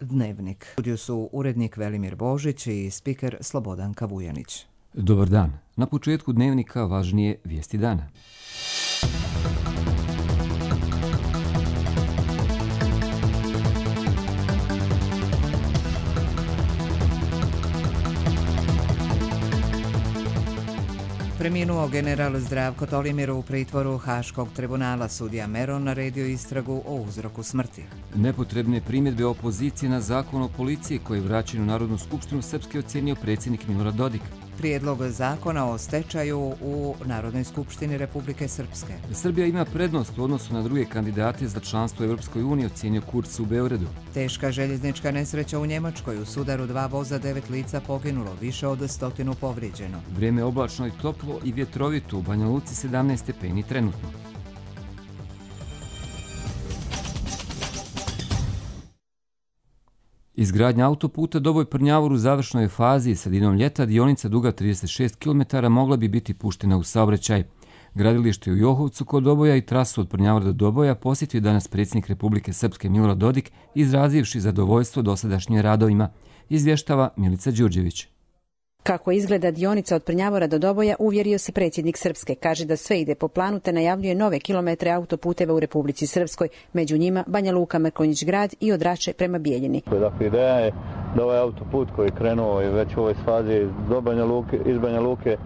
Dnevnik. U studiju su urednik Velimir Božić i spiker Slobodanka Vujanić. Dobar dan. Na početku Dnevnika važnije vijesti dana. Preminuo general Zdravko Tolimir u pritvoru Haškog tribunala. Sudija Meron naredio istragu o uzroku smrti. Nepotrebne primjedbe opozicije na zakon o policiji koji je vraćen u Narodnu skupštinu Srpske ocenio predsjednik Milorad Dodik. Prijedlog zakona o stečaju u Narodnoj skupštini Republike Srpske. Srbija ima prednost u odnosu na druge kandidate za članstvo u Europskoj uniji, ocenio Kurz u Beogradu. Teška željeznička nesreća u Njemačkoj. U sudaru 2 voza 9 lica poginulo, više od 100 povrijeđeno. Vrijeme oblačno i toplo i vjetrovito, u Banja Luci 17 stepeni trenutno. Izgradnja autoputa Doboj-Prnjavor u završnoj fazi i sredinom ljeta dionica duga 36 km mogla bi biti puštena u saobraćaj. Gradilište u Johovcu kod Doboja i trasu od Prnjavora do Doboja posjetio je danas predsjednik Republike Srpske Milorad Dodik, izrazivši zadovoljstvo dosadašnjim radovima, izvještava Milica Đurđević. Kako izgleda dionica od Prnjavora do Doboja, uvjerio se predsjednik Srpske. Kaže da sve ide po planu te najavljuje nove kilometre autoputeva u Republici Srpskoj, među njima Banja Luka, Mrkonjić Grad i od Rače prema Bijeljini. Dakle, ideja je da ovaj autoput koji je krenuo i već u ovoj fazi iz Banja Luke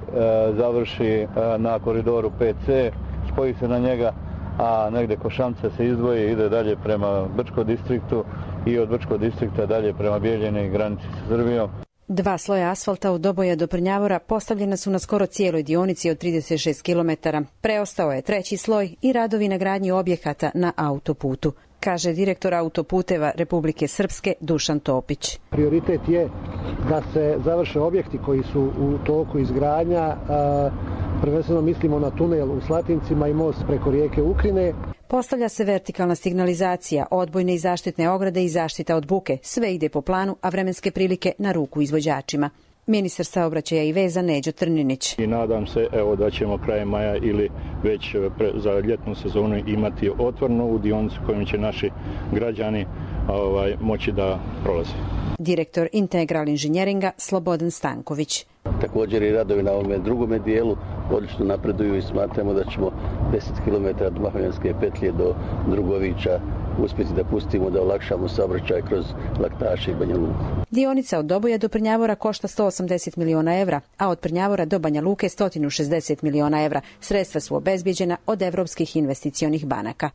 završi na koridoru 5C, spoji se na njega, a negdje Košamca se izdvoji i ide dalje prema Brčkom distriktu i od Brčkog distrikta dalje prema Bijeljini i granici sa Srbijom. 2 sloja asfalta od Doboja do Prnjavora postavljena su na skoro cijeloj dionici od 36 km. Preostao je 3. sloj i radovi na gradnji objekata na autoputu, kaže direktor autoputeva Republike Srpske Dušan Topić. Prioritet je da se završe objekti koji su u toku izgradnja, prvenstveno mislimo na tunel u Slatincima i most preko rijeke Ukrine. Postavlja se vertikalna signalizacija, odbojne i zaštitne ograde i zaštita od buke. Sve ide po planu, a vremenske prilike na ruku izvođačima. Ministar saobraćaja i veza Neđo Trninić. I nadam se da ćemo krajem maja ili već za ljetnu sezonu imati otvorenu ovu dionicu kojom će naši građani moći da prolaze. Direktor Integral inženjeringa Slobodan Stanković. Također i radovi na ovome drugome dijelu odlično napreduju i smatramo da ćemo 10 km od Mahonjanske petlje do Drugovića uspjeti da pustimo, da olakšamo saobraćaj kroz Laktaše i Banja Luku. Dionica od Doboja do Prnjavora košta 180 miliona evra, a od Prnjavora do Banja Luke 160 miliona evra. Sredstva su obezbijeđena od evropskih investicionih banaka.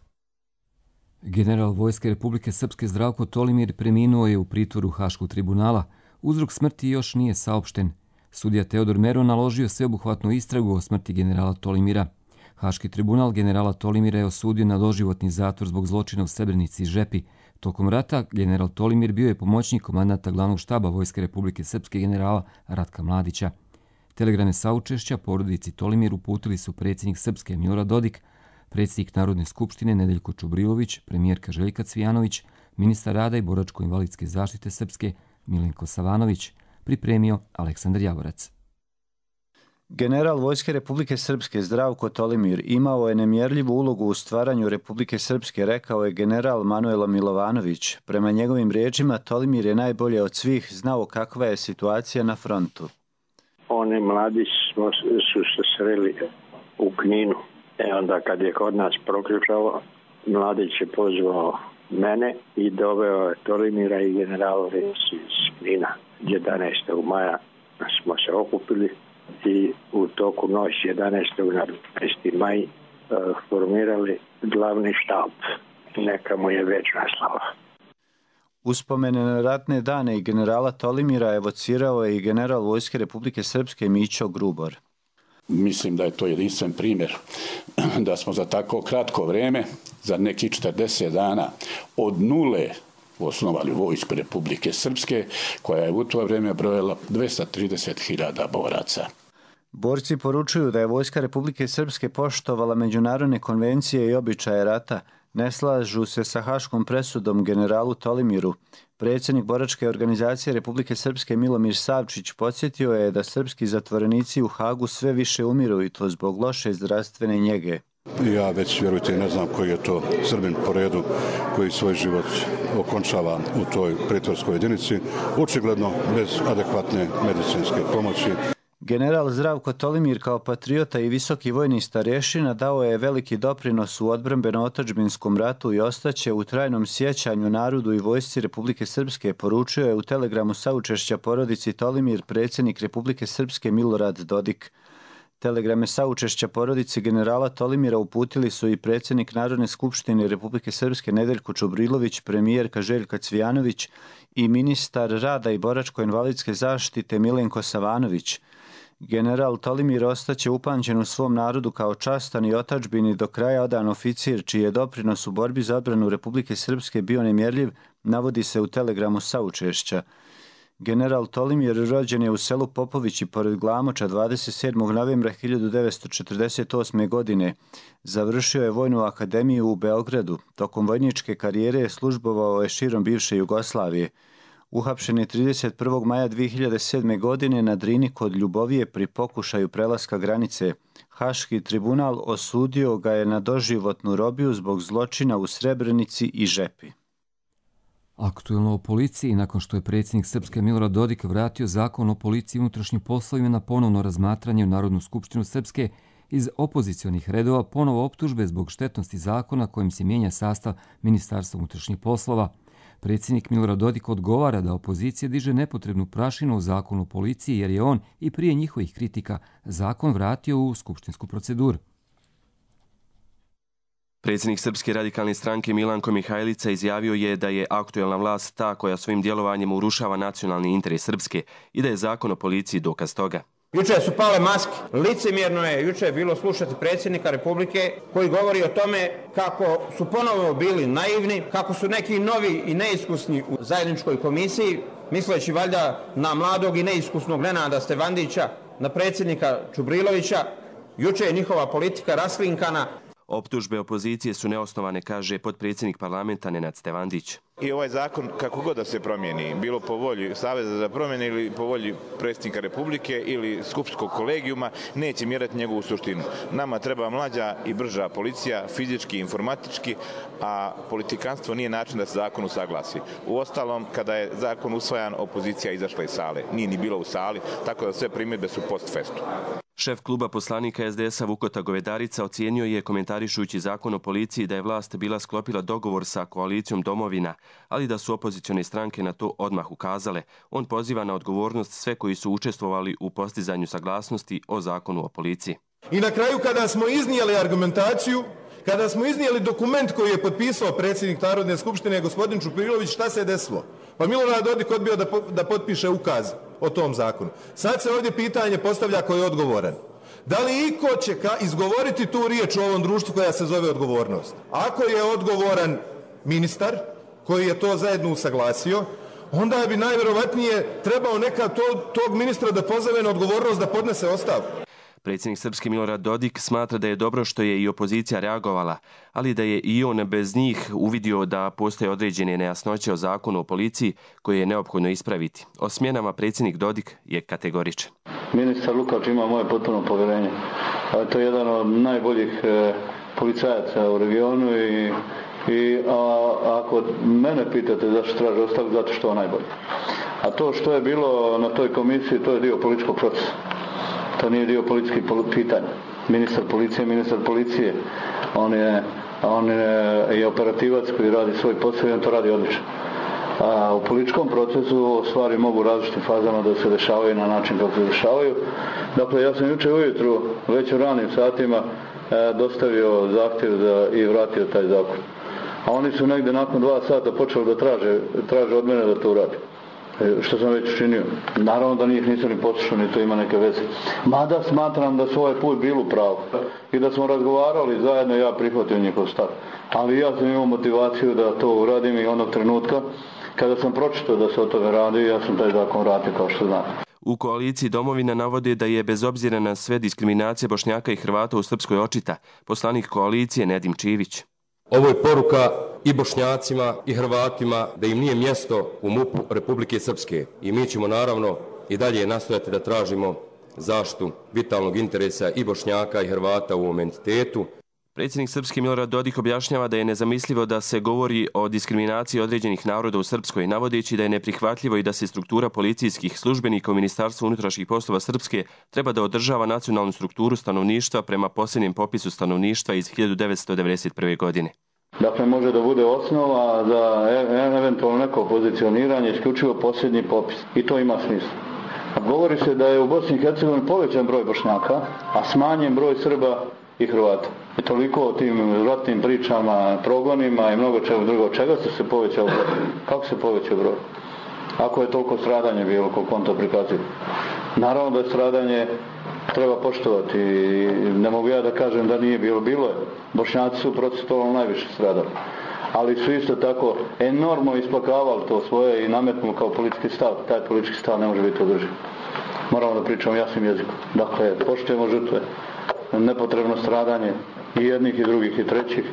General Vojske Republike Srpske Zdravko Tolimir preminuo je u pritvoru Haškog tribunala. Uzrok smrti još nije saopšten. Sudija Teodor Meron naložio sveobuhvatnu istragu o smrti generala Tolimira. Haški tribunal generala Tolimira je osudio na doživotni zatvor zbog zločina u Srebrenici i Žepi. Tokom rata general Tolimir bio je pomoćnik komandanta glavnog štaba Vojske Republike Srpske generala Ratka Mladića. Telegrame saučešća porodici Tolimir uputili su predsjednik Srpske Milorad Dodik, predsjednik Narodne skupštine Nedeljko Čubrilović, premijerka Željka Cvijanović, ministar rada i boračko-invalidske zaštite Srpske Milenko Savanović, pripremio Aleksandar Javorac. General Vojske Republike Srpske Zdravko Tolimir imao je nemjerljivu ulogu u stvaranju Republike Srpske, rekao je general Manuelo Milovanović. Prema njegovim riječima, Tolimir je najbolje od svih znao kakva je situacija na frontu. Oni mladi su se sreli u Kninu. Onda kad je kod nas proključalo, Mladić je pozvao mene i doveo je Tolimira i general iz Knina. 11. maja smo se okupili i u toku noći 11. na 15. maj formirali glavni štab. Neka mu je večna slava. Uspomene na ratne dane i generala Tolimira evocirao je i general Vojske Republike Srpske Mićo Grubor. Mislim da je to jedinstven primjer da smo za tako kratko vrijeme, za nekih 40 dana, od nule osnovali Vojsku Republike Srpske, koja je u to vrijeme brojala 230.000 boraca. Borci poručuju da je Vojska Republike Srpske poštovala međunarodne konvencije i običaje rata. Ne slažu se sa haškom presudom generalu Tolimiru. Predsjednik boračke organizacije Republike Srpske Milomir Savčić podsjetio je da srpski zatvorenici u Hagu sve više umiru i to zbog loše zdravstvene njege. Ja već, vjerujte, ne znam koji je to Srbin po redu koji svoj život okončava u toj pritvorskoj jedinici, očigledno bez adekvatne medicinske pomoći. General Zdravko Tolimir kao patriota i visoki vojni starješina dao je veliki doprinos u odbrambeno-otadžbinskom ratu i ostaće u trajnom sjećanju narodu i vojsci Republike Srpske, poručio je u telegramu saučešća porodici Tolimir predsjednik Republike Srpske Milorad Dodik. Telegrame saučešća porodici generala Tolimira uputili su i predsjednik Narodne skupštine Republike Srpske Nedeljko Čubrilović, premijerka Željka Cvijanović i ministar rada i boračko-invalidske zaštite Milenko Savanović. General Tolimir ostaće upamćen u svom narodu kao častan i otadžbini do kraja odan oficir, čiji je doprinos u borbi za odbranu Republike Srpske bio nemjerljiv, navodi se u telegramu saučešća. General Tolimir rođen je u selu Popovići pored Glamoča 27. novembra 1948. godine. Završio je Vojnu akademiju u Beogradu. Tokom vojničke karijere je službovao širom bivše Jugoslavije. Uhapšen je 31. maja 2007. godine na Drini kod Ljubovije pri pokušaju prelaska granice. Haški tribunal osudio ga je na doživotnu robiju zbog zločina u Srebrenici i Žepi. Aktuelno o policiji, nakon što je predsjednik Srpske Milorad Dodik vratio zakon o policiji i unutrašnjim poslovima na ponovno razmatranje u Narodnu skupštinu Srpske, iz opozicionih redova ponovo optužbe zbog štetnosti zakona kojim se mijenja sastav Ministarstva unutrašnjih poslova. Predsjednik Milorad Dodik odgovara da opozicija diže nepotrebnu prašinu o zakonu o policiji jer je on i prije njihovih kritika zakon vratio u skupštinsku proceduru. Predsjednik Srpske radikalne stranke Milanko Mihajlica izjavio je da je aktuelna vlast ta koja svojim djelovanjem urušava nacionalni interes Srpske i da je zakon o policiji dokaz toga. Juče su pale maske. Licemjerno je juče bilo slušati predsjednika Republike koji govori o tome kako su ponovo bili naivni, kako su neki novi i neiskusni u zajedničkoj komisiji, misleći valjda na mladog i neiskusnog Nenada Stevandića, na predsjednika Čubrilovića. Juče je njihova politika raslinkana. Optužbe opozicije su neosnovane, kaže potpredsjednik parlamenta Nenad Stevandić. I ovaj zakon, kako god da se promijeni, bilo po volji Saveza za promjene ili po volji predsjednika Republike ili skupštinskog kolegijuma, neće mjerati njegovu suštinu. Nama treba mlađa i brža policija, fizički i informatički, a politikanstvo nije način da se zakon usaglasi. Uostalom, kada je zakon usvajan, opozicija izašla iz sale. Nije ni bilo u sali, tako da sve primjedbe su post festum. Šef kluba poslanika SDS-a Vukota Govedarica ocijenio je, komentarišujući zakon o policiji, da je vlast bila sklopila dogovor sa koalicijom Domovina, ali da su opozicione stranke na to odmah ukazale. On poziva na odgovornost sve koji su učestvovali u postizanju saglasnosti o zakonu o policiji. I na kraju, kada smo iznijeli argumentaciju, kada smo iznijeli dokument koji je potpisao predsjednik Narodne skupštine gospodin Čuprilović, šta se je desilo? Pa Milorad Dodik odbio da potpiše ukaz o tom zakonu. Sad se ovdje pitanje postavlja ko je odgovoran. Da li iko će izgovoriti tu riječ u ovom društvu koja se zove odgovornost? Ako je odgovoran ministar koji je to zajedno usaglasio, onda bi najvjerovatnije trebao neka tog ministra da pozove na odgovornost da podnese ostavku. Predsjednik Srpske Milorad Dodik smatra da je dobro što je i opozicija reagovala, ali da je i on bez njih uvidio da postoje određene nejasnoće o zakonu o policiji koje je neophodno ispraviti. O smjenama predsjednik Dodik je kategoričan. Ministar Lukač ima moje potpuno povjerenje. To je jedan od najboljih policajaca u regionu i ako mene pitate zašto traži ostavku, zato što je najbolji. A to što je bilo na toj komisiji, to je dio političkog procesa. To nije dio političkih pitanja. Ministar policije, on je operativac koji radi svoj posao i on to radi odlično. A u političkom procesu stvari mogu različitim fazama da se dešavaju na način kako se dešavaju. Dakle, ja sam jučer ujutru, već u ranim satima, dostavio zahtjev i vratio taj zakon. A oni su negdje nakon 2 sata počeli da traže od mene da to uradim. Što sam već učinio. Naravno da njih nisam ni poslušao, ni to ima neke veze. Mada smatram da su ovaj put bili u pravu. I da smo razgovarali zajedno, ja prihvatio njihov stav. Ali ja sam imao motivaciju da to uradim i onog trenutka kada sam pročitao da se o tome radi, ja sam taj zakon vratio kao što znate. U koaliciji Domovina navode da je bez obzira na sve diskriminacije Bošnjaka i Hrvata u Srpskoj očita. Poslanik koalicije Nedim Čivić. Ovo je poruka i Bošnjacima i Hrvatima da im nije mjesto u MUP-u Republike Srpske. I mi ćemo naravno i dalje nastojati da tražimo zaštitu vitalnog interesa i Bošnjaka i Hrvata u ovom entitetu. Predsjednik Srpske Milorad Dodik objašnjava da je nezamislivo da se govori o diskriminaciji određenih naroda u Srpskoj, navodeći da je neprihvatljivo i da se struktura policijskih službenika u Ministarstvu unutrašnjih poslova Srpske treba da održava nacionalnu strukturu stanovništva prema posljednjem popisu stanovništva iz 1991. godine. Dakle, može da bude osnova za eventualno neko pozicioniranje, isključivo posljednji popis. I to ima smisla. Govori se da je u Bosni i Hercegovini povećan broj Bošnjaka, a smanjen broj Srba i Hrvata. I toliko o tim ratnim pričama, progonima i mnogo čega drugo. Čega se povećao broj? Kako se povećao broj? Ako je toliko stradanje bilo, koliko on to prikazuje. Naravno da je stradanje treba poštovati. Ne mogu ja da kažem da nije bilo. Bilo je. Bošnjaci su procentualno najviše stradali. Ali su isto tako enormno isplakavali to svoje i nametnuli kao politički stav. Taj politički stav ne može biti održiv. Moramo da pričamo jasnim jezikom. Dakle, poštujemo žrtve. Nepotrebno stradanje i jednih i drugih i trećih.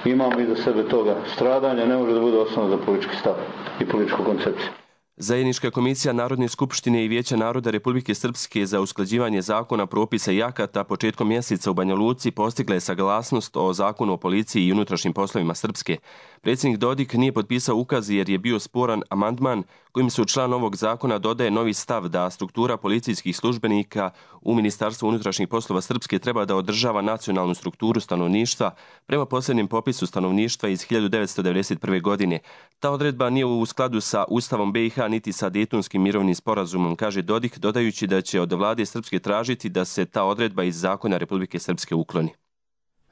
Imamo iza sebe toga. Stradanje ne može da bude osnova za politički stav i političku koncepciju. Zajednička komisija Narodne skupštine i Vijeća naroda Republike Srpske za usklađivanje zakona, propisa i akata početkom mjeseca u Banja Luci postigla je saglasnost o zakonu o policiji i unutrašnjim poslovima Srpske. Predsjednik Dodik nije potpisao ukaz jer je bio sporan amandman kojim se u član ovog zakona dodaje novi stav da struktura policijskih službenika u Ministarstvu unutrašnjih poslova Srpske treba da održava nacionalnu strukturu stanovništva prema posljednjem popisu stanovništva iz 1991. godine. Ta odredba nije u skladu sa Ustavom BiH niti sa Dejtonskim mirovnim sporazumom, kaže Dodik, dodajući da će od vlade Srpske tražiti da se ta odredba iz zakona Republike Srpske ukloni.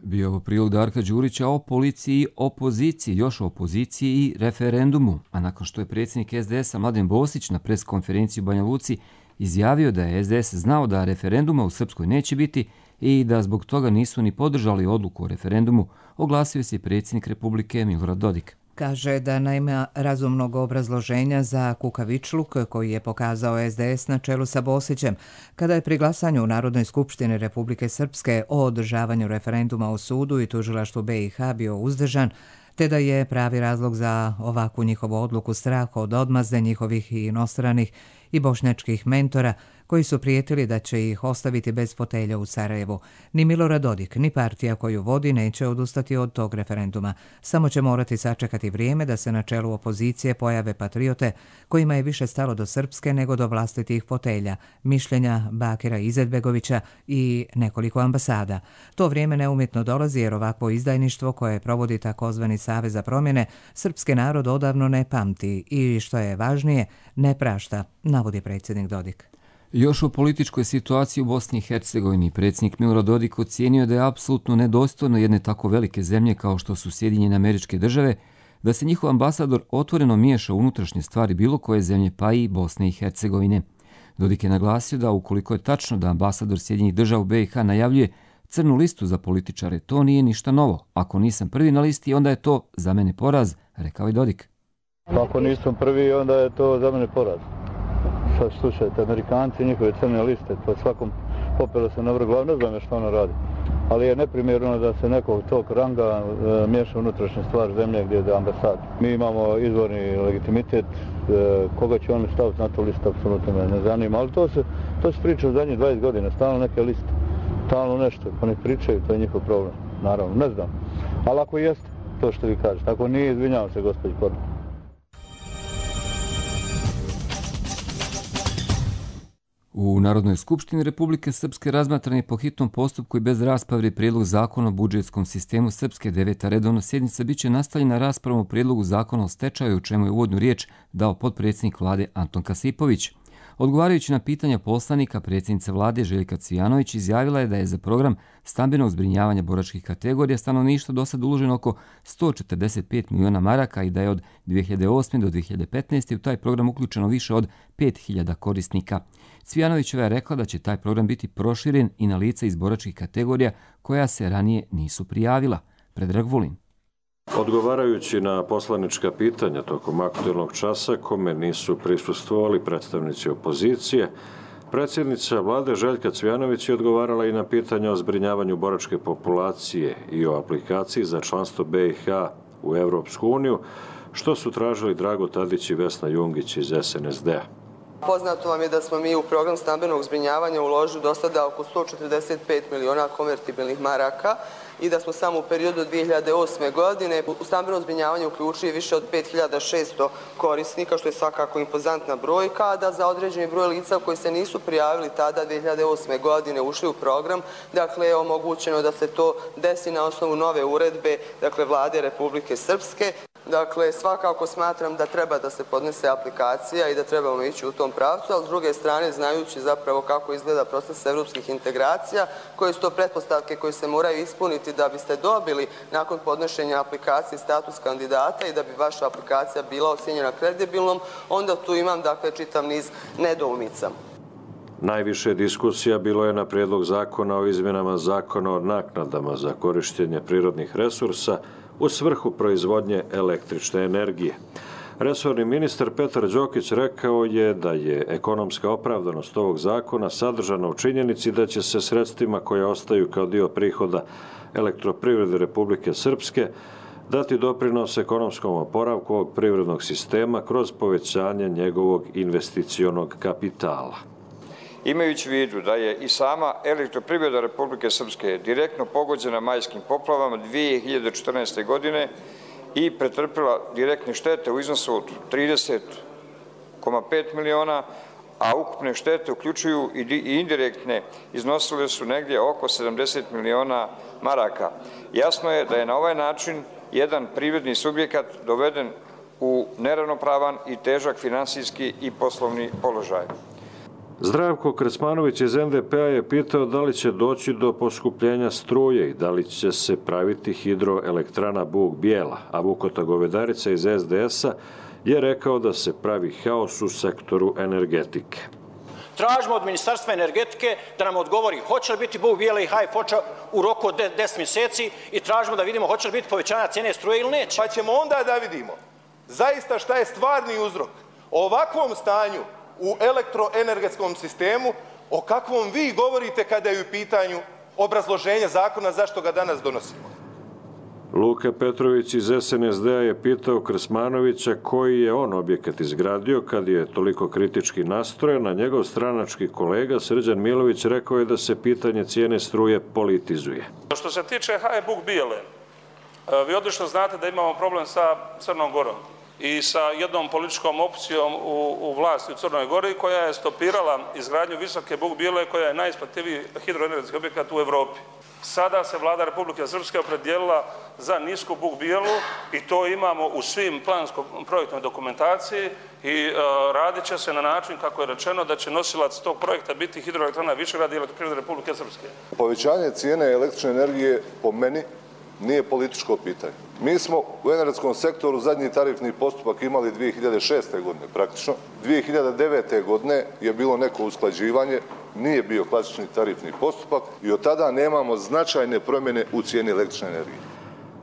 Bio ovo prilog Darka Đurića o policiji, opoziciji, još o opoziciji i referendumu. A nakon što je predsjednik SDS-a Mladen Bosić na preskonferenciji u Banja Luci izjavio da je SDS znao da referenduma u Srpskoj neće biti i da zbog toga nisu ni podržali odluku o referendumu, oglasio se predsjednik Republike Milorad Dodik. Kaže da nema razumnog obrazloženja za kukavičluk koji je pokazao SDS na čelu sa Bosićem kada je pri glasanju u Narodnoj skupštini Republike Srpske o održavanju referenduma u sudu i tužilaštvu BiH bio uzdržan, te da je pravi razlog za ovakvu njihovu odluku strah od odmazde njihovih i inostranih i bošnjačkih mentora koji su prijetili da će ih ostaviti bez fotelja u Sarajevu. Ni Milorad Dodik, ni partija koju vodi neće odustati od tog referenduma. Samo će morati sačekati vrijeme da se na čelu opozicije pojave patriote kojima je više stalo do Srpske nego do vlastitih fotelja, mišljenja Bakira Izetbegovića i nekoliko ambasada. To vrijeme neumjetno dolazi jer ovakvo izdajništvo koje provodi takozvani Savez za promjene srpski narod odavno ne pamti i, što je važnije, ne prašta, navodi predsjednik Dodik. Još o političkoj situaciji u Bosni i Hercegovini predsjednik Milorad Dodik ocijenio da je apsolutno nedostojno jedne tako velike zemlje kao što su Sjedinjene Američke Države da se njihov ambasador otvoreno miješa u unutrašnje stvari bilo koje zemlje, pa i Bosne i Hercegovine. Dodik je naglasio da ukoliko je tačno da ambasador Sjedinjenih Država u BiH najavljuje crnu listu za političare, to nije ništa novo. Ako nisam prvi na listi, onda je to za mene poraz, rekao je Dodik. Ako nisam prvi, onda je to za mene poraz. Sad slušajte, Amerikanci, njihove crne liste, po svakom popelo se na vrh glavu, ne znam što ono radi. Ali je neprimjerno da se nekog tog ranga miješa unutrašnja stvar zemlje gdje je ambasad. Mi imamo izvorni legitimitet, koga će oni staviti na tu listu, apsolutno me ne zanima, ali to se priča u zadnjih 20 godina, stalno neke liste, stalno nešto, pa ne pričaju, to je njihov problem, naravno, ne znam. Ali ako jeste, to što vi kažete, ako nije, izvinjavam se, gospođi Korno. U Narodnoj skupštini Republike Srpske razmatran je po hitnom postupku i bez rasprave prijedlog zakona o budžetskom sistemu Srpske. 9. redovna sjednica biće nastavljena raspravom o prijedlogu zakona o stečaju, u čemu je uvodnu riječ dao potpredsjednik vlade Anton Kasipović. Odgovarajući na pitanja poslanika, predsjednica vlade Željka Cvijanović izjavila je da je za program stambenog zbrinjavanja boračkih kategorija stanovništva do sad uloženo oko 145 miliona maraka i da je od 2008. do 2015. u taj program uključeno više od 5000 korisnika. Cvijanovićeva je rekla da će taj program biti proširen i na lica iz boračkih kategorija koja se ranije nisu prijavila. Predrag Vulin. Odgovarajući na poslanička pitanja tokom aktualnog časa kome nisu prisustvovali predstavnici opozicije, predsjednica vlade Željka Cvijanović je odgovarala i na pitanja o zbrinjavanju boračke populacije i o aplikaciji za članstvo BiH u Evropsku uniju, što su tražili Drago Tadić i Vesna Jungić iz SNSD-a. Poznato vam je da smo mi u program stambenog zbrinjavanja uložili do sada oko 145 miliona konvertibilnih maraka i da smo samo u periodu 2008. godine u stambeno zbrinjavanje uključili više od 5600 korisnika, što je svakako impozantna brojka, a da za određeni broj lica koji se nisu prijavili tada 2008. godine ušli u program, dakle je omogućeno da se to desi na osnovu nove uredbe, dakle Vlade Republike Srpske. Dakle, svakako smatram da treba da se podnese aplikacija i da trebamo ići u tom pravcu, ali s druge strane, znajući zapravo kako izgleda proces evropskih integracija, koje su to pretpostavke koje se moraju ispuniti da biste dobili nakon podnošenja aplikacije status kandidata i da bi vaša aplikacija bila ocjenjena kredibilnom, onda tu imam, dakle, čitav niz nedoumica. Najviše diskusija bilo je na prijedlog zakona o izmjenama zakona o naknadama za korištenje prirodnih resursa u svrhu proizvodnje električne energije. Resorni ministar Petar Đokić rekao je da je ekonomska opravdanost ovog zakona sadržana u činjenici da će se sredstvima koja ostaju kao dio prihoda Elektroprivrede Republike Srpske dati doprinos ekonomskom oporavku ovog privrednog sistema kroz povećanje njegovog investicionog kapitala. Imajući u vidu da je i sama Elektroprivreda Republike Srpske direktno pogođena majskim poplavama 2014. godine i pretrpila direktne štete u iznosu od 30,5 miliona, a ukupne štete uključuju i indirektne iznosile su negdje oko 70 miliona maraka. Jasno je da je na ovaj način jedan privredni subjekat doveden u neravnopravan i težak finansijski i poslovni položaj. Zdravko Krecmanović iz NDP-a je pitao da li će doći do poskupljenja struje i da li će se praviti hidroelektrana Buk Bijela, a Vukota Govedarica iz SDS-a je rekao da se pravi haos u sektoru energetike. Tražimo od Ministarstva energetike da nam odgovori hoće li biti Buk Bijela i HF-Foča u roku od 10 mjeseci i tražimo da vidimo hoće li biti povećanja cijene struje ili neće. Pa ćemo onda da vidimo zaista šta je stvarni uzrok ovakvom stanju u elektroenergetskom sistemu, o kakvom vi govorite kada je u pitanju obrazloženje zakona zašto ga danas donosimo. Luka Petrović iz SNSD-a je pitao Krsmanovića koji je on objekat izgradio kad je toliko kritički nastrojen, a njegov stranački kolega Srđan Milović rekao je da se pitanje cijene struje politizuje. Što se tiče HE Buk Bijele, vi odlično znate da imamo problem sa Crnom Gorom i sa jednom političkom opcijom u vlasti u Crnoj Gori koja je stopirala izgradnju visoke Buk Bijele koja je najisplativiji hidroenergetski objekat u Evropi. Sada se vlada Republike Srpske opredijelila za nisku Buk Bijelu i to imamo u svim plansko-projektnoj dokumentaciji i radit će se na način kako je rečeno da će nosilac tog projekta biti hidroelektrana Višegrad i Elektroprivreda Republike Srpske. Povećanje cijene električne energije po meni nije političko pitanje. Mi smo u energetskom sektoru zadnji tarifni postupak imali 2006. godine praktično. 2009. godine je bilo neko usklađivanje, nije bio klasični tarifni postupak i od tada nemamo značajne promjene u cijeni električne energije.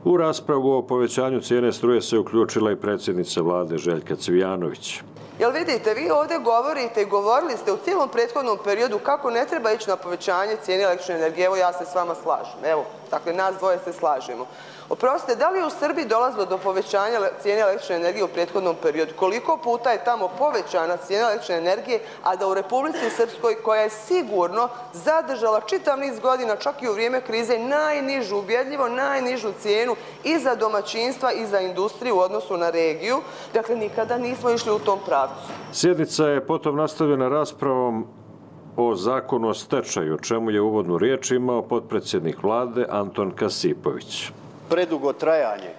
U raspravu o povećanju cijene struje se uključila i predsjednica vlade Željka Cvijanović. Jel vidite, vi ovdje govorite i govorili ste u cijelom prethodnom periodu kako ne treba ići na povećanje cijene električne energije. Evo, ja se s vama slažem. Evo, dakle, nas dvoje se slažemo. Oprostite, da li je u Srbiji dolazilo do povećanja cijene električne energije u prethodnom periodu? Koliko puta je tamo povećana cijena električne energije, a da u Republici Srpskoj, koja je sigurno zadržala čitav niz godina, čak i u vrijeme krize, najnižu, ubjedljivo najnižu cijenu i za domaćinstva i za industriju u odnosu na regiju. Dakle, nikada nismo išli u tom pravcu. Sjednica je potom nastavljena raspravom o zakonu o stečaju, o čemu je uvodnu riječ imao potpredsjednik vlade Anton Kasipović. Predugo trajanje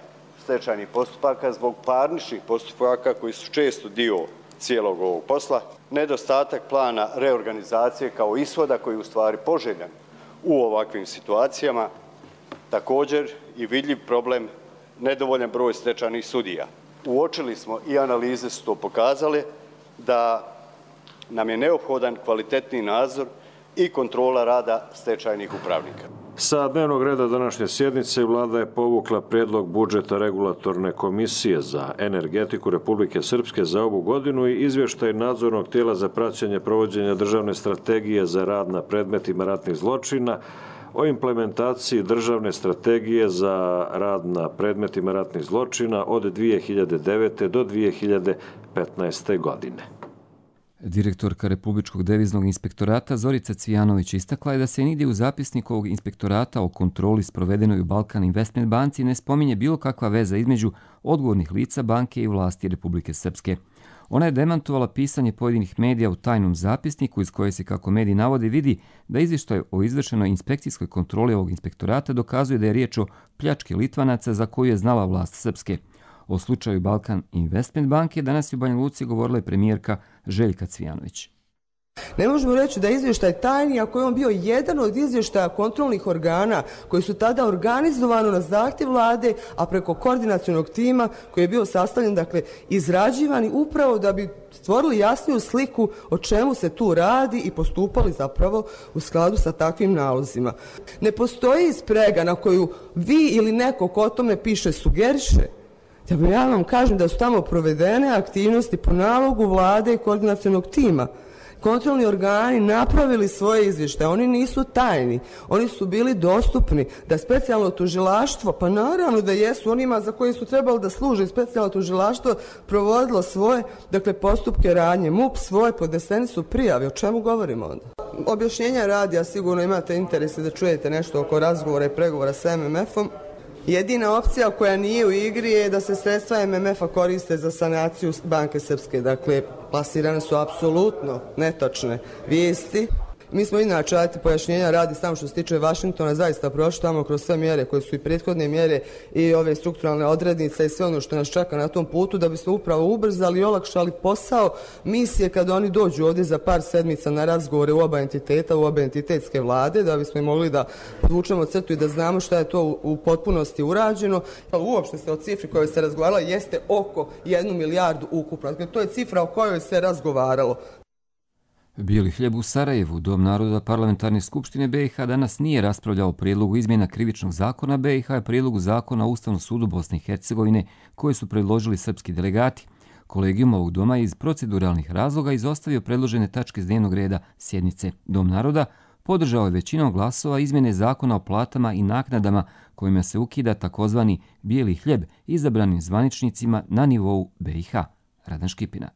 stečajnih postupaka zbog parničnih postupaka koji su često dio cijelog ovog posla, nedostatak plana reorganizacije kao ishoda koji je u stvari poželjan u ovakvim situacijama, također i vidljiv problem nedovoljan broj stečajnih sudija. Uočili smo i analize su to pokazale da nam je neophodan kvalitetni nadzor i kontrola rada stečajnih upravnika. Sa dnevnog reda današnje sjednice vlada je povukla prijedlog budžeta regulatorne komisije za energetiku Republike Srpske za ovu godinu i izvještaj nadzornog tijela za praćenje provođenja državne strategije za rad na predmetima ratnih zločina o implementaciji državne strategije za rad na predmetima ratnih zločina od 2009. do 2015. godine. Direktorka Republičkog deviznog inspektorata Zorica Cvijanović istakla je da se nigdje u zapisniku ovog inspektorata o kontroli sprovedenoj u Balkan Investment banci ne spominje bilo kakva veza između odgovornih lica banke i vlasti Republike Srpske. Ona je demantovala pisanje pojedinih medija u tajnom zapisniku iz koje se, kako mediji navode, vidi da izvještaj o izvršenoj inspekcijskoj kontroli ovog inspektorata dokazuje da je riječ o pljački Litvanaca za koju je znala vlast Srpske. O slučaju Balkan Investment banke danas je u Banja Luci govorila i premijerka Željka Cvijanović. Ne možemo reći da je izvještaj tajni ako je on bio jedan od izvještaja kontrolnih organa koji su tada organizovano na zahtjev vlade, a preko koordinacionog tima koji je bio sastavljen, dakle izrađivani upravo da bi stvorili jasniju sliku o čemu se tu radi i postupali zapravo u skladu sa takvim nalozima. Ne postoji sprega na koju vi ili neko ko o tome piše sugeriše. Ja vam kažem da su tamo provedene aktivnosti po nalogu vlade i koordinacionog tima. Kontrolni organi napravili svoje izvještaje, oni nisu tajni, oni su bili dostupni, da specijalno tužilaštvo, pa naravno da jesu onima za koje su trebali da služe specijalno tužilaštvo, provodilo svoje, dakle, postupke radnje, MUP svoje, podneseni su prijave, o čemu govorimo onda? Objašnjenja radi, a sigurno imate interese da čujete nešto oko razgovora i pregovora sa MMF-om. Jedina opcija koja nije u igri je da se sredstva MMF-a koriste za sanaciju Banke Srpske. Dakle, plasirane su apsolutno netočne vijesti. Mi smo inače, pojašnjenja radi samo što se tiče Vašingtona, zaista prošli tamo kroz sve mjere koje su i prethodne mjere i ove strukturalne odrednice i sve ono što nas čeka na tom putu da bismo upravo ubrzali i olakšali posao misije kada oni dođu ovdje za par sedmica na razgovore u oba entiteta, u obe entitetske vlade, da bismo mogli da podvučemo crtu i da znamo šta je to u potpunosti urađeno. Uopšte se o cifri kojoj se razgovaralo jeste oko 1 milijardu ukupno. Dakle, to je cifra o kojoj se razgovaralo. Bijeli hljeb u Sarajevu, Dom naroda Parlamentarne skupštine BiH danas nije raspravljao o prijedlogu izmjena krivičnog zakona BiH i prijedlogu zakona o Ustavnom sudu Bosne i Hercegovine koje su predložili srpski delegati. Kolegijum ovog doma je iz proceduralnih razloga izostavio predložene tačke s dnevnog reda sjednice. Dom naroda podržao je većinom glasova izmjene zakona o platama i naknadama kojima se ukida takozvani bijeli hljeb izabranim zvaničnicima na nivou BiH. Radan Škipina.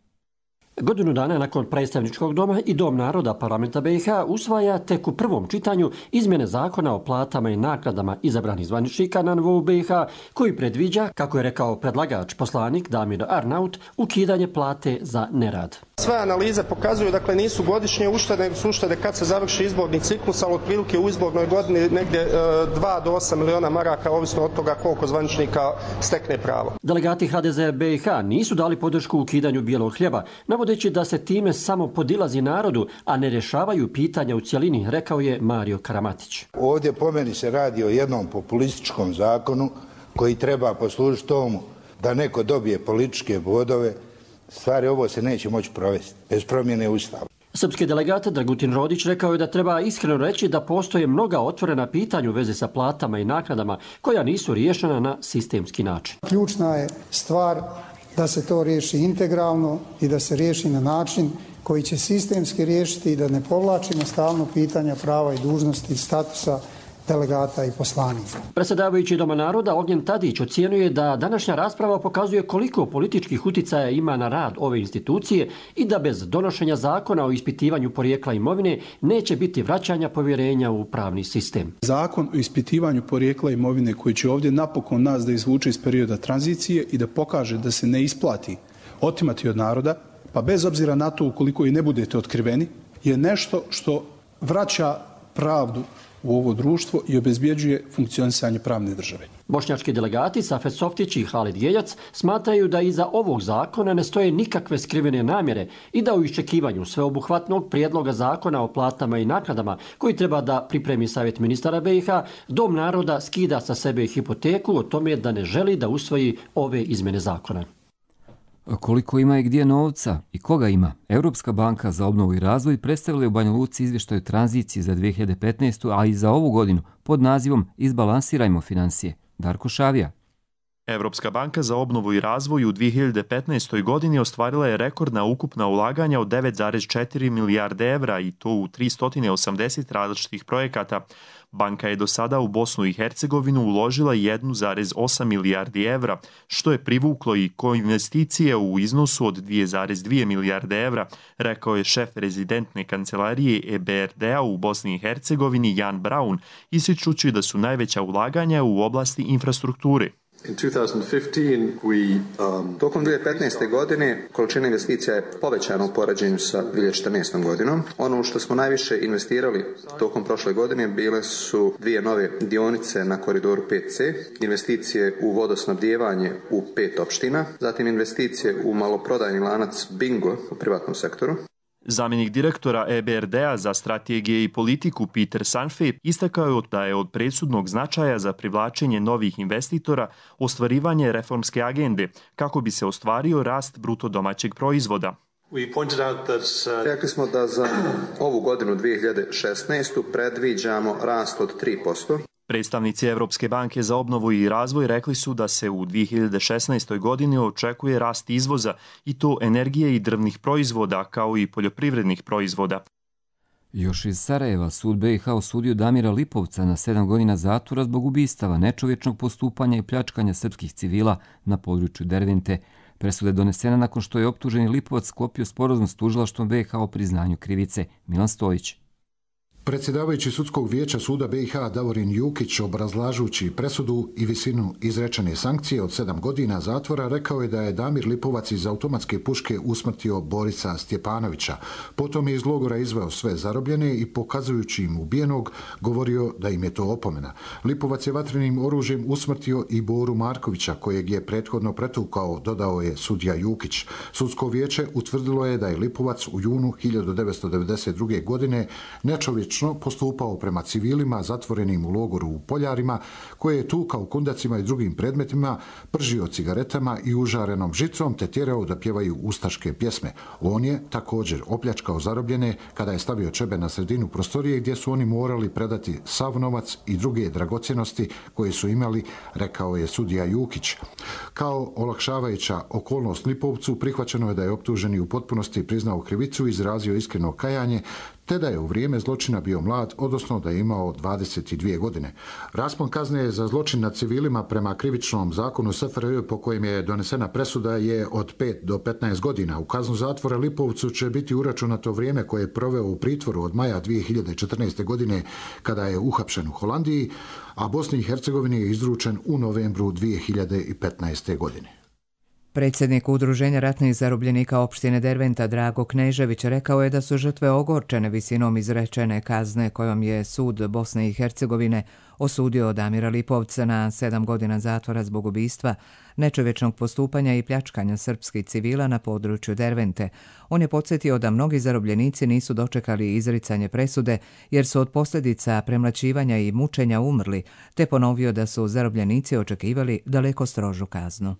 Godinu dana nakon predstavničkog doma i Dom naroda Parlamenta BiH usvaja tek u prvom čitanju izmjene zakona o platama i naknadama izabranih zvaničnika na nivou BiH koji predviđa, kako je rekao predlagač poslanik Damir Arnaut, ukidanje plate za nerad. Sve analize pokazuju, dakle, nisu godišnje uštede, nego su uštede kad se završi izborni ciklus, ali otprilike u izbornoj godini negdje 2 do 8 miliona maraka, ovisno od toga koliko zvaničnika stekne pravo. Delegati HDZ BiH nisu dali podršku ukidanju bijelog hljeba, navodeći da se time samo podilazi narodu, a ne rješavaju pitanja u cjelini, rekao je Mario Karamatić. Ovdje po meni se radi o jednom populističkom zakonu koji treba poslužiti tomu da neko dobije političke bodove. Stvari ovo se neće moći provesti bez promjene Ustava. Srpski delegat Dragutin Rodić rekao je da treba iskreno reći da postoje mnoga otvorena pitanja u vezi sa platama i naknadama koja nisu riješena na sistemski način. Ključna je stvar da se to riješi integralno i da se riješi na način koji će sistemski riješiti i da ne povlačimo stalno pitanja prava i dužnosti statusa delegata i poslanika. Predsjedavajući Doma naroda Ognjen Tadić ocjenjuje da današnja rasprava pokazuje koliko političkih uticaja ima na rad ove institucije i da bez donošenja zakona o ispitivanju porijekla imovine neće biti vraćanja povjerenja u pravni sistem. Zakon o ispitivanju porijekla imovine koji će ovdje napokon nas da izvuče iz perioda tranzicije i da pokaže da se ne isplati otimati od naroda, pa bez obzira na to ukoliko i ne budete otkriveni, je nešto što vraća pravdu u ovo društvo i obezbjeđuje funkcionisanje pravne države. Bošnjački delegati Safet Softić i Halid Geljac smatraju da iza ovog zakona ne stoje nikakve skrivene namjere i da u iščekivanju sveobuhvatnog prijedloga zakona o platama i naknadama koji treba da pripremi Savjet ministara BiH, Dom naroda skida sa sebe hipoteku o tome da ne želi da usvoji ove izmjene zakona. Koliko ima i gdje novca i koga ima? Europska banka za obnovu i razvoj predstavila je u Banja Luci izvještaj o tranziciji za 2015. a i za ovu godinu pod nazivom Izbalansirajmo financije. Darko Šavija. Evropska banka za obnovu i razvoj u 2015. godini ostvarila je rekordna ukupna ulaganja od 9,4 milijarde evra i to u 380 različitih projekata. Banka je do sada u Bosnu i Hercegovinu uložila 1,8 milijardi evra, što je privuklo i koinvesticije u iznosu od 2,2 milijarde evra, rekao je šef rezidentne kancelarije EBRD-a u Bosni i Hercegovini Jan Braun, ističući da su najveća ulaganja u oblasti infrastrukture. Tokom 2015. godine količina investicija je povećana u poređenju sa 2014. godinom. Ono što smo najviše investirali tokom prošle godine bile su 2 nove dionice na koridoru 5C, investicije u vodosnabdijevanje u 5 opština, zatim investicije u maloprodajni lanac Bingo u privatnom sektoru. Zamjenik direktora EBRD-a za strategije i politiku Peter Sanfe istakao je da je od presudnog značaja za privlačenje novih investitora ostvarivanje reformske agende kako bi se ostvario rast bruto domaćeg proizvoda. Rekli smo da za ovu godinu 2016. predviđamo rast od 3%. Predstavnici Evropske banke za obnovu i razvoj rekli su da se u 2016. godini očekuje rast izvoza i to energije i drvnih proizvoda kao i poljoprivrednih proizvoda. Još iz Sarajeva sud BiH osudio Damira Lipovca na 7 godina zatvora zbog ubistava, nečovječnog postupanja i pljačkanja srpskih civila na području Dervente. Presuda je donesena nakon što je optuženi Lipovac sklopio sporazum s tužilaštvom BiH o priznanju krivice. Milan Stojić. Predsjedavajući sudskog vijeća suda BiH Davorin Jukić, obrazlažući presudu i visinu izrečene sankcije od 7 godina zatvora, rekao je da je Damir Lipovac iz automatske puške usmrtio Borisa Stjepanovića. Potom je iz logora izveo sve zarobljene i pokazujući im ubijenog govorio da im je to opomena. Lipovac je vatrenim oružjem usmrtio i Boru Markovića, kojeg je prethodno pretukao, dodao je sudija Jukić. Sudsko vijeće utvrdilo je da je Lipovac u junu 1992. godine nečovječno postupao prema civilima zatvorenim u logoru u Poljarima, koje je tukao kundacima i drugim predmetima, pržio cigaretama i užarenom žicom te tjerao da pjevaju ustaške pjesme. On je također opljačkao zarobljene kada je stavio čebe na sredinu prostorije gdje su oni morali predati sav novac i druge dragocjenosti koje su imali, rekao je sudija Jukić. Kao olakšavajuća okolnost Lipovcu prihvaćeno je da je optuženi u potpunosti priznao krivicu i izrazio iskreno kajanje, te da je u vrijeme zločina bio mlad, odnosno da je imao 22 godine. Raspon kazne za zločin nad civilima prema krivičnom zakonu SFRJ po kojem je donesena presuda je od 5 do 15 godina. U kaznu zatvora Lipovcu će biti uračunato vrijeme koje je proveo u pritvoru od maja 2014. godine kada je uhapšen u Holandiji, a Bosni i Hercegovini je izručen u novembru 2015. godine. Predsjednik Udruženja ratnih zarobljenika opštine Derventa Drago Knežević rekao je da su žrtve ogorčene visinom izrečene kazne kojom je sud Bosne i Hercegovine osudio Damira Lipovca na 7 godina zatvora zbog ubistva, nečovječnog postupanja i pljačkanja srpskih civila na području Dervente. On je podsjetio da mnogi zarobljenici nisu dočekali izricanje presude jer su od posljedica premlaćivanja i mučenja umrli, te ponovio da su zarobljenici očekivali daleko strožu kaznu.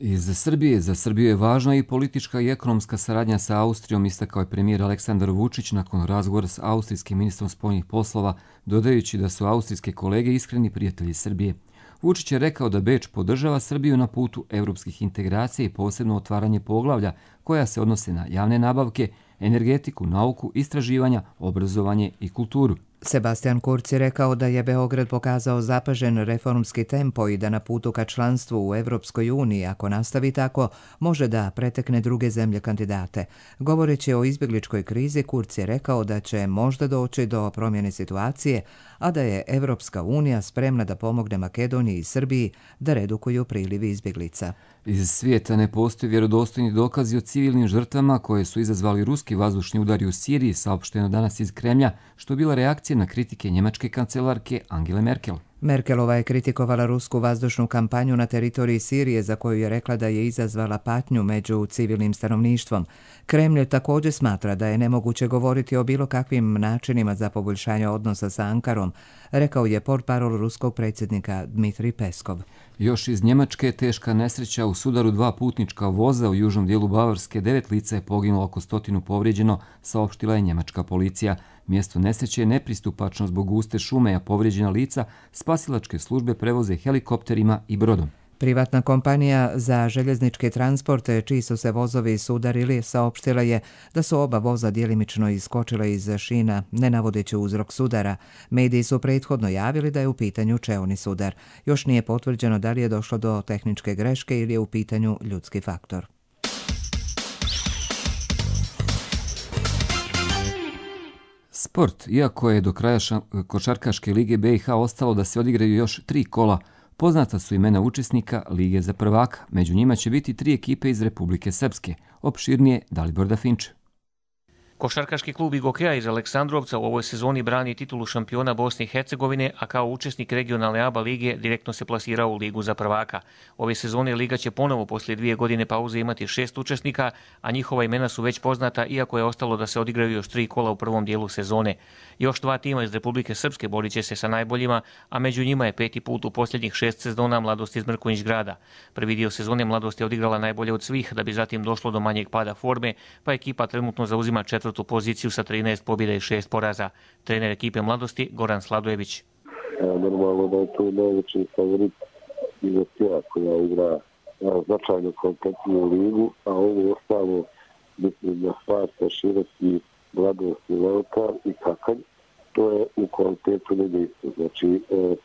Iz Srbije za Srbiju je važna i politička i ekonomska saradnja sa Austrijom, istakao je premijer Aleksandar Vučić nakon razgovora s austrijskim ministrom spoljnih poslova, dodajući da su austrijske kolege iskreni prijatelji Srbije. Vučić je rekao da Beč podržava Srbiju na putu evropskih integracija i posebno otvaranje poglavlja koja se odnose na javne nabavke, energetiku, nauku, istraživanja, obrazovanje i kulturu. Sebastian Kurz je rekao da je Beograd pokazao zapažen reformski tempo i da na putu ka članstvu u Evropskoj uniji, ako nastavi tako, može da pretekne druge zemlje kandidate. Govoreći o izbjegličkoj krizi, Kurz je rekao da će možda doći do promjene situacije, a da je Evropska unija spremna da pomogne Makedoniji i Srbiji da redukuju priliv izbjeglica. Iz svijeta ne postoji vjerodostojni dokazi o civilnim žrtvama koje su izazvali ruski vazdušni udari u Siriji, saopšteno danas iz Kremlja, što je bila reakcija na kritike njemačke kancelarke Angele Merkel. Merkelova je kritikovala rusku vazdušnu kampanju na teritoriji Sirije za koju je rekla da je izazvala patnju među civilnim stanovništvom. Kremlj također smatra da je nemoguće govoriti o bilo kakvim načinima za poboljšanje odnosa sa Ankarom, rekao je portparol ruskog predsjednika Dmitrij Peskov. Još iz Njemačke teška nesreća u sudaru dva putnička voza u južnom dijelu Bavarske, 9 lica je poginulo, oko 100 povrijeđeno, saopštila je njemačka policija. Mjesto nesreće je nepristupačno zbog guste šume, a povrijeđena lica spasilačke službe prevoze helikopterima i brodom. Privatna kompanija za željezničke transporte, čiji su se vozovi sudarili, saopštila je da su oba voza djelimično iskočila iz šina, ne navodeći uzrok sudara. Mediji su prethodno javili da je u pitanju čeoni sudar. Još nije potvrđeno da li je došlo do tehničke greške ili je u pitanju ljudski faktor. Sport. Iako je do kraja košarkaške lige BiH ostalo da se odigraju još 3 kola, poznata su imena učesnika Lige za prvaka. Među njima će biti 3 ekipe iz Republike Srpske. Opširnije Dalibor Dafinče. Košarkaški klub Igokeja iz Aleksandrovca u ovoj sezoni brani titulu šampiona Bosne i Hercegovine, a kao učesnik regionalne ABA lige direktno se plasirao u Ligu za prvaka. Ove sezone Liga će ponovo poslije 2 godine pauze imati 6 učesnika, a njihova imena su već poznata, iako je ostalo da se odigraju još 3 kola u prvom dijelu sezone. Još 2 tima iz Republike Srpske borit će se sa najboljima, a među njima je 5. put u posljednjih 6 sezona Mladost iz Mrkonjić grada. Prvi dio sezone Mladost je odigrala najbolje od svih, da bi zatim došlo do manjeg pada forme, pa ekipa trenutno zauzima 4. poziciju sa 13 pobjeda i 6 poraza. Trener ekipe Mladosti Goran Sladojević. Normalno da je to najveći favorit Igokeja koja igra značajno kompletniju ligu, a ovo ostalo mislim da Sparta, Široki, Mladost i Leotar i Kakanj, to je u kvalitetu negdje. Znači,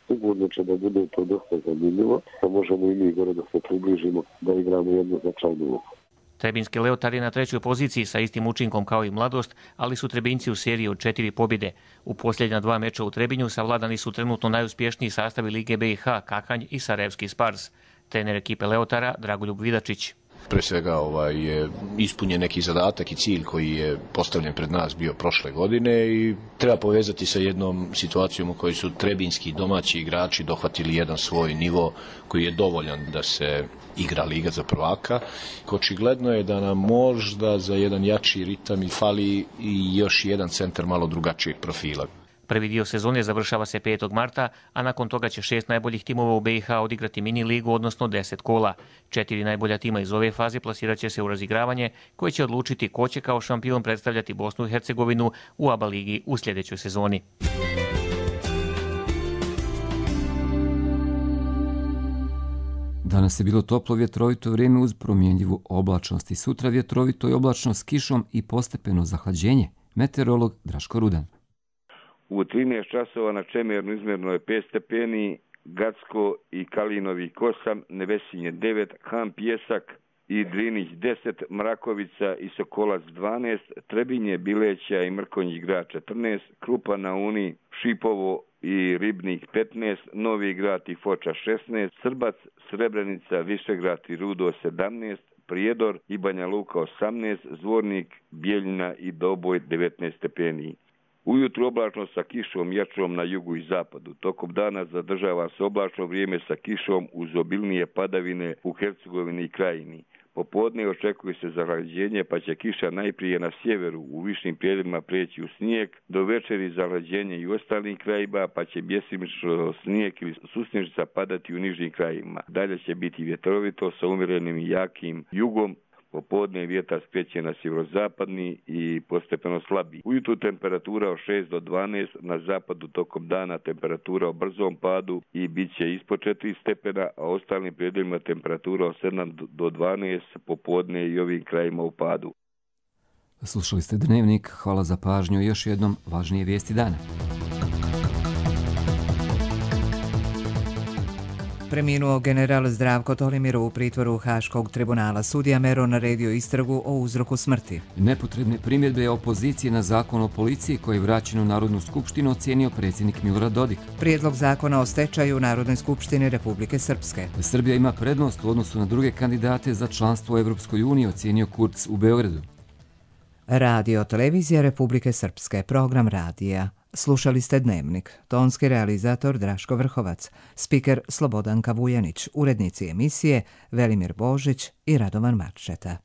sigurno će da bude to dosta zanimljivo, da možemo i mi gore da se približimo, da igramo jednu značajnu ulogu. Trebinski Leotar je na 3. poziciji sa istim učinkom kao i Mladost, ali su Trebinci u seriji od 4 pobjede. U posljednja 2 meča u Trebinju savladani su trenutno najuspješniji sastavi Lige BiH, Kakanj i Sarajevski Spars. Trener ekipe Leotara Dragoljub Vidačić. Pre svega je ispunjen neki zadatak i cilj koji je postavljen pred nas bio prošle godine i treba povezati sa jednom situacijom u kojoj su trebinski domaći igrači dohvatili jedan svoj nivo koji je dovoljan da se igra Liga za prvaka. Očigledno je da nam možda za jedan jači ritam i fali i još jedan centar malo drugačijeg profila. Prvi dio sezone završava se 5. marta, a nakon toga će 6 najboljih timova u BiH odigrati mini ligu, odnosno 10 kola. 4 najbolja tima iz ove faze plasirat će se u razigravanje, koje će odlučiti ko će kao šampion predstavljati Bosnu i Hercegovinu u ABA ligi u sljedećoj sezoni. Danas je bilo toplo vjetrovito vrijeme uz promjenjivu oblačnost i sutra vjetrovito i oblačno s kišom i postepeno zahlađenje. Meteorolog Draško Rudan. U 13 časova na Čemernu izmjerno je 5 stepeni, Gacko i Kalinovik 8, Nevesinje 9, Han Pjesak i Drinić 10, Mrakovica i Sokolac 12, Trebinje, Bileća i Mrkonjić grad 14, Krupa na Uni, Šipovo i Ribnik 15, Novi grad i Foča 16, Srbac, Srebrenica, Višegrad i Rudo 17, Prijedor i Banja Luka 18, Zvornik, Bijeljina i Doboj 19 stepeni. Ujutro oblačno sa kišom jačom na jugu i zapadu. Tokom dana zadržava se oblačno vrijeme sa kišom uz obilnije padavine u Hercegovini i Krajini. Popodne očekuje se zahlađenje, pa će kiša najprije na sjeveru u višim prijedjelima prijeći u snijeg, do večeri zahlađenje i u ostalim krajima, pa će bjesimično snijeg ili susnježica padati u nižim krajima. Dalje će biti vjetrovito sa umjerenim i jakim jugom. Popodne vjetar skreće na sjeverozapadni i postepeno slabi. Ujutru temperatura od 6 do 12, na zapadu tokom dana temperatura u brzom padu i bit će ispod 4 stepena, a ostalim predjelima temperatura od 7 do 12, popodne i ovim krajima u padu. Slušali ste Dnevnik, hvala za pažnju i još jednom važnije vijesti dana. Preminuo general Zdravko Tolimir u pritvoru Haškog tribunala. Sudija Mero naredio istragu o uzroku smrti. Nepotrebne primjedbe opozicije na zakon o policiji koji je vraćen u Narodnu skupštinu ocijenio predsjednik Milorad Dodik. Prijedlog zakona o stečaju u Narodnoj skupštini Republike Srpske. Srbija ima prednost u odnosu na druge kandidate za članstvo u Evropskoj uniji, ocijenio Kurz u Beogradu. Radio televizija Republike Srpske, program radija. Slušali ste Dnevnik. Tonski realizator Draško Vrhovac, spiker Slobodanka Vujanić, urednici emisije Velimir Božić i Radovan Marčeta.